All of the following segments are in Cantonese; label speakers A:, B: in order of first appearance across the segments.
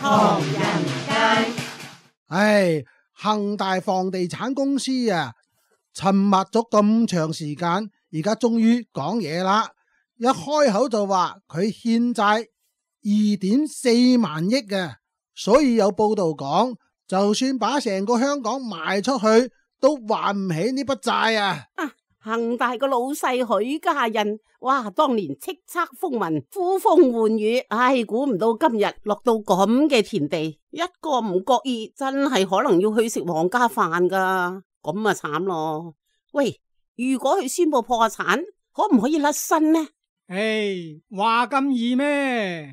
A: 唐人街。
B: 唉，恒大房地產公司啊，沉默咗咁長時間，而家終於講嘢啦。一開口就話佢欠債2.4萬億嘅，所以有報道講，就算把成個香港賣出去，都還唔起呢筆債啊！
C: 恒大個老細許家印，哇，當年叱咤風雲，呼風喚雨，唉，估唔到今日落到咁嘅田地，一個唔覺意，真係可能要去食皇家飯噶，咁啊慘咯！喂，如果佢宣布破產，可唔可以甩身呢？
D: 唉，話咁易咩？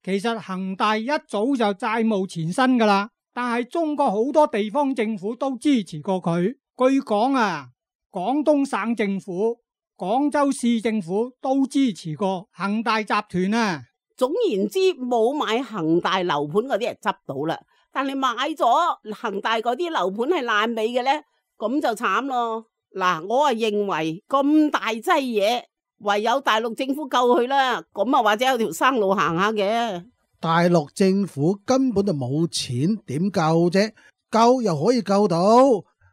D: 其實恒大一早就債務纏身噶啦，但係中國好多地方政府都支持過佢。據講啊，廣東省政府、廣州市政府都支持過恒大集團啊。
C: 總言之，冇買恒大樓盤嗰啲人執到啦，但係買咗恒大嗰啲樓盤係爛尾嘅呢，咁就慘咯。嗱，我啊認為咁大劑嘢，唯有大陸政府救佢啦，咁啊或者有條生路行下嘅。
B: 大陸政府根本就冇錢，點救啫？救又可以救到，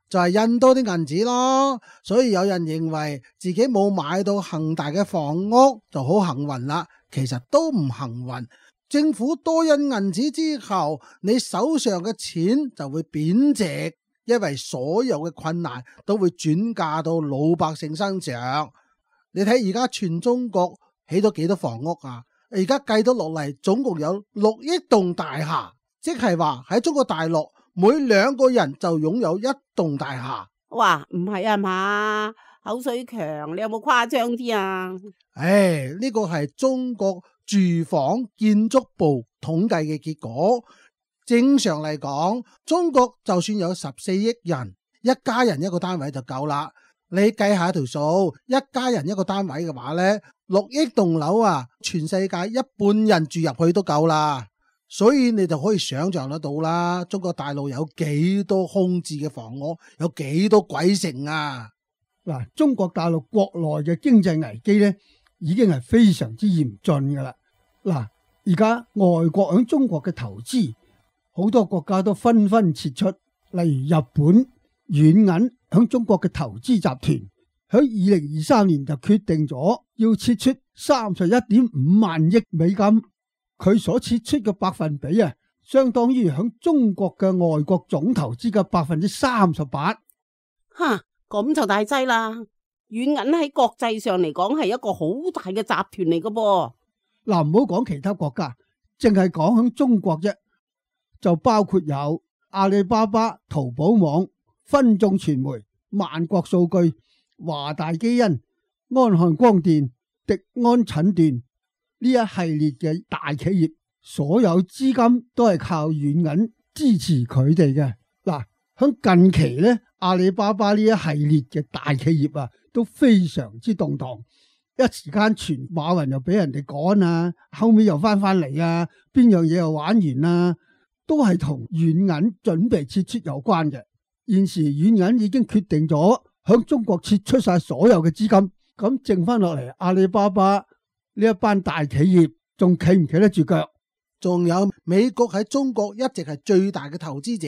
B: 就係印多啲銀紙咯。所以有人認為自己冇買到恒大嘅房屋就好幸運啦，其實都唔幸運。政府多印銀紙之後，你手上嘅錢就會貶值，因為所有嘅困難都會轉嫁到老百姓身上。你睇而家全中國起咗幾多房屋啊？而家計到落嚟，總共有6億棟大廈，即係話喺中國大陸每2個人就擁有1棟大廈。
C: 哇，唔係啊嘛，口水強，你有冇誇張啲啊？
B: 唉，呢個係中國住房建築部統計嘅結果。正常嚟講，中國就算有14億人，一家人一個單位就夠啦。你計下條數，一家人一個單位嘅話呢，6億棟樓啊，全世界1半人住入去都夠啦。所以你就可以想象得到啦，中國大陸有幾多空置嘅房屋，有幾多鬼城啊！
E: 嗱，中國大陸國內嘅經濟危機呢，已經係非常之嚴峻噶啦。嗱，而家外國響中國嘅投資，好多國家都紛紛撤出，例如日本軟銀響中國嘅投資集團，響2023年就決定咗要撤出31.5萬億美金。佢所撤出嘅百分比啊，相當於響中國嘅外國總投資嘅38%。
C: 吓，咁就大劑啦！軟銀喺國際上嚟講係一個好大嘅集團嚟噶噃。
E: 嗱，唔好講其他國家，淨係講響中國啫，就包括有阿里巴巴、淘寶網、分眾傳媒、萬國數據、華大基因、安漢光電、迪安診斷呢一系列嘅大企業，所有資金都係靠軟銀支持佢哋嘅。嗱，響近期咧，阿里巴巴呢一系列嘅大企業啊，都非常之動盪。一時間傳馬雲又俾人哋趕啊，後尾又翻嚟啊，邊樣嘢又玩完啊，都係同軟銀準備撤出有關嘅。現時軟銀已經決定咗響中國撤出晒所有嘅資金，咁剩翻落嚟阿里巴巴呢一班大企業仲企唔企得住腳？
B: 仲有美國喺中國一直係最大嘅投資者，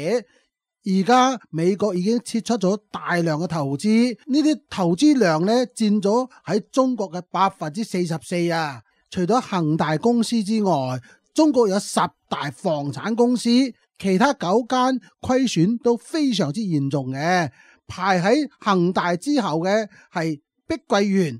B: 而家美國已經撤出咗大量嘅投資，呢啲投資量呢佔咗喺中國嘅44%啊！除咗恒大公司之外，中國有10大房產公司，其他9間虧損都非常之嚴重嘅。排喺恒大之後嘅係碧桂園，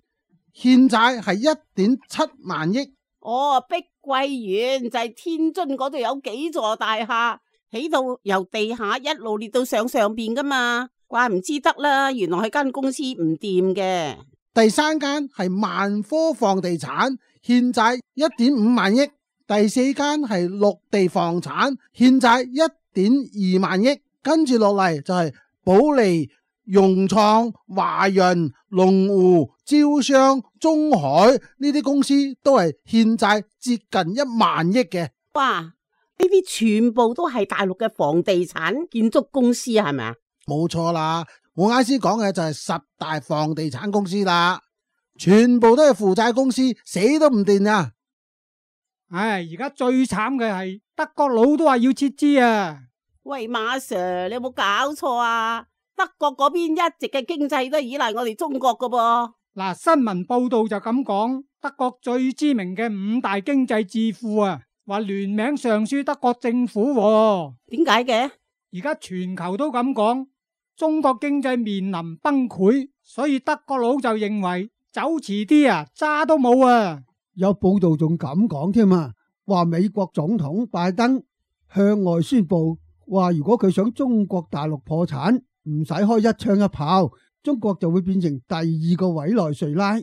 B: 欠債係1.7萬億。
C: 哦，碧桂園就係天津嗰度有幾座大廈，起到由地下一路列到上邊噶嘛，怪唔知得啦，原來係間公司唔掂嘅。
B: 第3間係萬科房地產，欠債1.5萬億。第4間係綠地房產，欠債1.2萬億。跟住落嚟就係保利、融創、華潤、龍湖、招商、中海呢啲公司都係欠債接近1萬億嘅。
C: 哇！呢啲全部都係大陸嘅房地產建築公司係咪啊？
B: 冇錯啦，我啱先講嘅就係10大房地產公司啦，全部都係負債公司，死都唔掂啊！
D: 唉，而家最慘嘅係德國佬都話要撤資啊！
C: 喂，馬 Sir，你有冇搞錯啊？德國嗰邊一直嘅經濟都係依賴我哋中國噶噃。
D: 嗱，新聞報道就咁講，德國最知名嘅5大經濟智庫啊，話聯名上書德國政府喎。
C: 點解嘅？
D: 而家全球都咁講，中國經濟面臨崩潰，所以德國佬就認為走遲啲啊，渣都冇啊！
E: 有報道仲咁講添啊，話美國總統拜登向外宣布，話如果佢想中國大陸破產，唔使開一槍一炮，中國就會變成第2個委內瑞拉。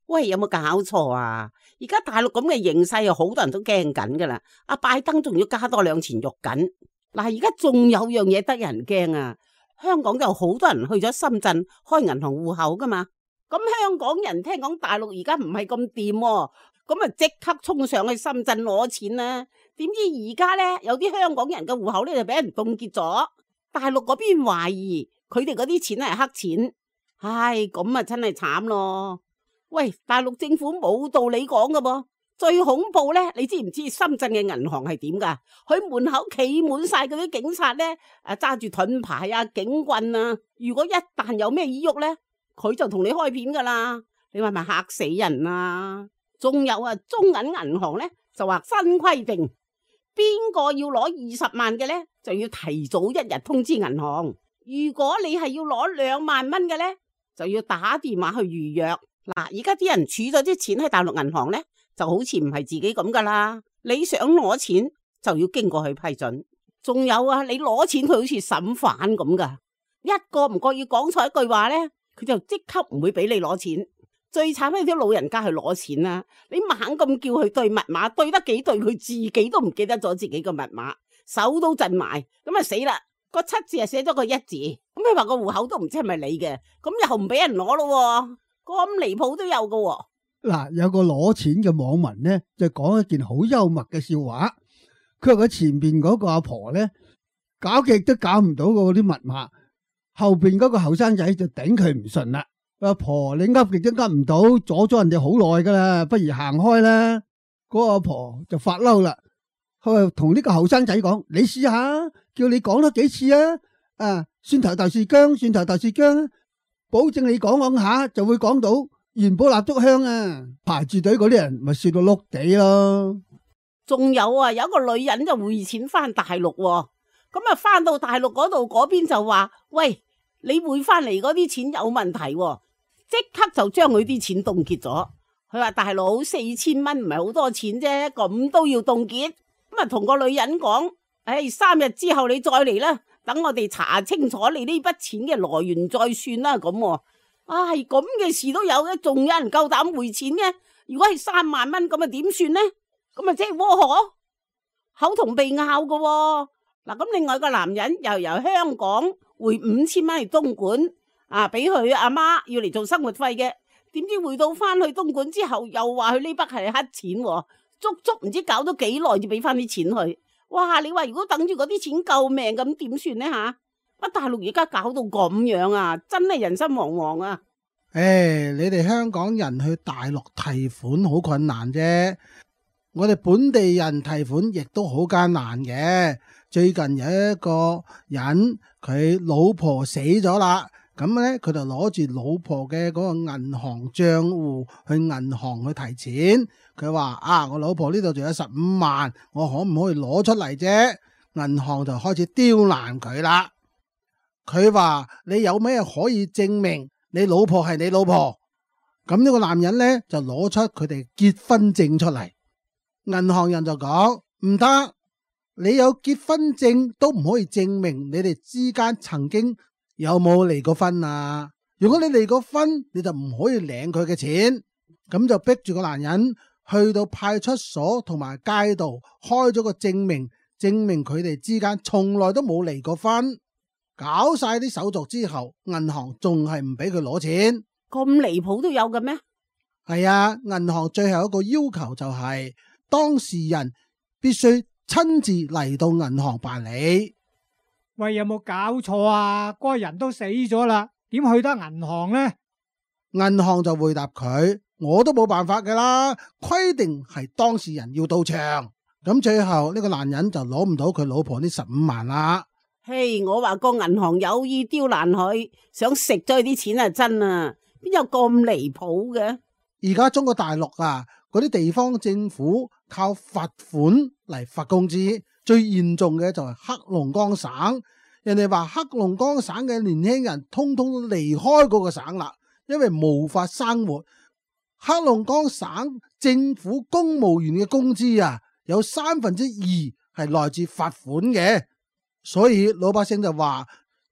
C: 喂，有冇搞錯啊？而家大陸咁嘅形勢，好多人都驚緊噶啦。阿拜登仲要加多2錢肉緊。嗱，而家仲有樣嘢得人驚啊！香港就好多人去咗深圳開銀行戶口噶嘛。咁香港人聽講大陸而家唔係咁掂，咁啊即刻衝上去深圳攞錢啦。點知而家呢，有啲香港人嘅戶口呢就俾人凍結咗。大陸嗰邊懷疑佢哋嗰啲錢係黑錢，唉，咁啊真係慘咯。喂，大陸政府冇道理講噶噃。最恐怖呢，你知唔知深圳嘅銀行係點噶？佢門口企滿晒嗰啲警察呢，揸住盾牌啊、警棍啊。如果一旦有咩意喐呢，佢就同你開片噶啦。你話咪嚇死人啊？仲有啊，中銀銀行呢，就話新規定，邊個要攞20萬嘅呢，就要提早1日通知銀行。如果你係要攞2萬蚊嘅呢，就要打電話去預約。嗱，而家啲人儲咗啲錢喺大陸銀行呢，就好似唔係自己咁噶啦。你想攞錢就要經過佢批准。仲有啊，你攞錢佢好似審犯咁噶，一個唔覺意講錯一句話呢，佢就即刻唔會俾你攞錢。最慘係啲老人家去攞錢啦，你猛咁叫佢對密碼，對得幾對佢自己都唔記得咗自己個密碼，手都震埋，咁啊死啦！個7字係寫咗個1字，咁佢話個戶口都唔知係咪你嘅，咁又唔俾人攞咯，咁離譜都有噶。
E: 嗱，有個攞錢嘅網民呢，就講一件好幽默嘅笑話。佢話佢前邊嗰個阿婆呢，搞極都搞唔到嗰啲密碼，後邊嗰個後生仔就頂佢唔順啦。阿婆，你噏極都噏唔到，阻咗人哋好耐噶啦，不如行開啦。嗰個阿婆就發嬲啦，佢同呢個後生仔講：你試下，叫你講多幾次啊！啊，蒜頭豆豉薑，蒜頭豆豉薑，保證你講下就會講到元寶蠟燭香啊！排住隊嗰啲人咪笑到碌地咯。
C: 仲有啊，有一個女人就匯錢翻大陸，咁啊翻到大陸嗰度，嗰邊就話：喂，你匯翻嚟嗰啲錢有問題，即刻就將佢啲錢凍結咗。佢話大佬，4000蚊唔係好多錢啫，咁都要凍結。咁啊同個女人講：唉，3日之後你再嚟啦，等我哋查清楚你呢筆錢嘅來源再算啦。咁，唉，咁嘅事都有嘅，仲有人夠膽匯錢嘅？如果係3萬蚊咁啊點算呢？咁啊即係窩河，口同鼻拗噶。嗱，咁另外個男人又由香港匯5000蚊嚟東莞。俾佢阿媽要嚟做生活費嘅，點知匯到翻去東莞之後，又話佢呢筆係黑錢，足足唔知搞咗幾耐至俾翻啲錢佢。哇！你話如果等住嗰啲錢救命咁點算呢吓？乜大陸而家搞到咁樣啊，真係人心惶惶啊！
B: 你哋香港人去大陸提款好困難啫，我哋本地人提款亦都好艱難嘅。最近有一個人佢老婆死咗啦。咁咧，佢就攞住老婆嘅嗰個銀行賬戶去銀行去提錢。佢話：我老婆呢度仲有15萬，我可唔可以攞出嚟啫？銀行就開始刁難佢啦。佢話：你有咩可以證明你老婆係你老婆？咁呢個男人咧就攞出佢哋結婚證出嚟。銀行人就講：唔得，你有結婚證都唔可以證明你哋之間曾經有冇離過婚啊？如果你離過婚，你就唔可以領佢嘅錢。咁就逼住個男人去到派出所同埋街道開咗個證明，證明佢哋之間從來都冇離過婚。搞晒啲手續之後，銀行仲係唔俾佢攞錢。
C: 咁離譜都有嘅咩？
B: 係啊，銀行最後一個要求就係當事人必須親自嚟到銀行辦理。
D: 喂，有冇搞錯啊？嗰個人都死咗啦，點去得銀行呢？
B: 銀行就回答佢：我都冇辦法噶啦，規定係當事人要到場。咁最後呢個男人就攞唔到佢老婆呢15萬啦。
C: 嘿，我話個銀行有意刁難佢，想食咗佢啲錢啊，真啊，邊有咁離譜嘅？
B: 而家中國大陸啊，嗰啲地方政府靠罰款嚟罰工資，最嚴重嘅就係黑龍江省。人哋話黑龍江省嘅年輕人通通都離開嗰個省啦，因為無法生活。黑龍江省政府公務員嘅工資啊，有2/3係來自罰款嘅，所以老百姓就話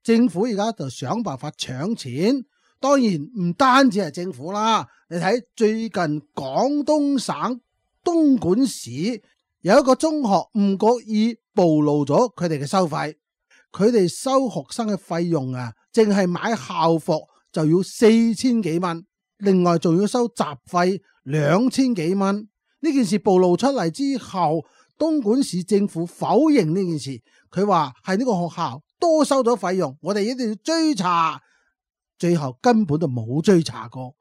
B: 政府而家就想辦法搶錢。當然唔單止係政府啦，你睇最近廣東省東莞市有一個中學唔覺意暴露咗佢哋嘅收費，佢哋收學生嘅費用啊，淨係買校服就要4000幾蚊，另外仲要收雜費2000幾蚊。呢件事暴露出嚟之後，東莞市政府否認呢件事，佢話係呢個學校多收咗費用，我哋一定要追查。最後根本就冇追查過，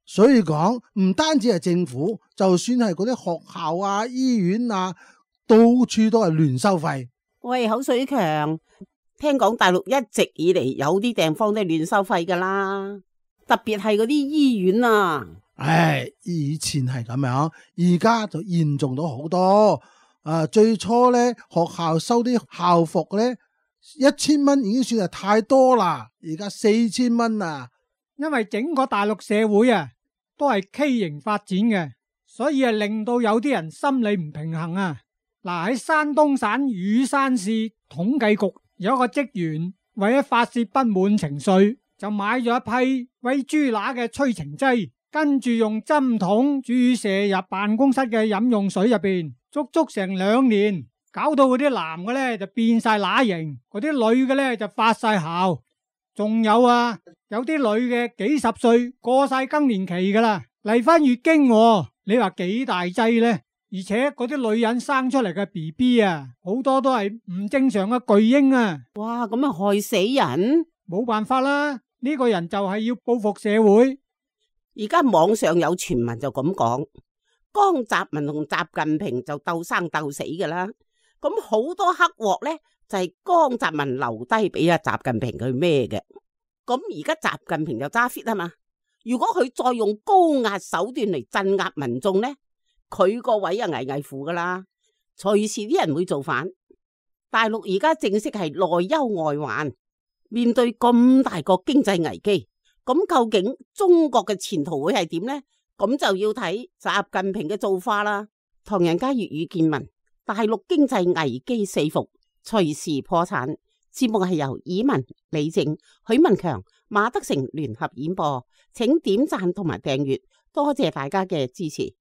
B: 所以講唔單止係政府，就算係嗰啲學校啊、醫院啊，到處都係亂收費。
C: 喂，口水強，聽講大陸一直以嚟有啲地方都係亂收費噶啦，特別係嗰啲醫院啊。
B: 唉，以前係咁樣，而家就嚴重咗好多。最初咧學校收啲校服咧，1000蚊已經算係太多啦，而家4000蚊啊！
D: 因為整個大陸社會啊，都係畸形發展嘅，所以令到有啲人心理唔平衡啊。嗱，喺山東省禹山市統計局有一個職員為咗發洩不滿情緒，就買咗一批餵豬乸嘅催情劑，跟住用針筒注射入辦公室嘅飲用水入邊，足足成2年。搞到嗰啲男嘅咧就變晒乸型，嗰啲女嘅咧就發晒姣，仲有啊，有啲女嘅幾十歲過晒更年期噶啦，嚟翻月經，你話幾大劑呢？而且嗰啲女人生出嚟嘅 BB 啊，好多都係唔正常嘅巨嬰啊！
C: 哇，咁啊害死人！
D: 冇辦法啦，呢個人就係要報復社會。
C: 而家網上有傳聞就咁講，江澤民同習近平就鬥生鬥死噶啦。咁好多黑鑊咧，就係江澤民留低俾阿習近平佢孭嘅。咁而家習近平就揸 fit 啊嘛。如果佢再用高壓手段嚟鎮壓民眾咧，佢個位啊危危乎噶啦，隨時啲人會造反。大陸而家正式係內憂外患，面對咁大個經濟危機，咁究竟中國嘅前途會係點呢？咁就要睇習近平嘅造化啦。唐人街粵語見聞。大陸經濟危機四伏，隨時破產。節目係由以文、李靜、許文強、馬德成聯合演播，請點讚同埋訂閱，多謝大家嘅支持。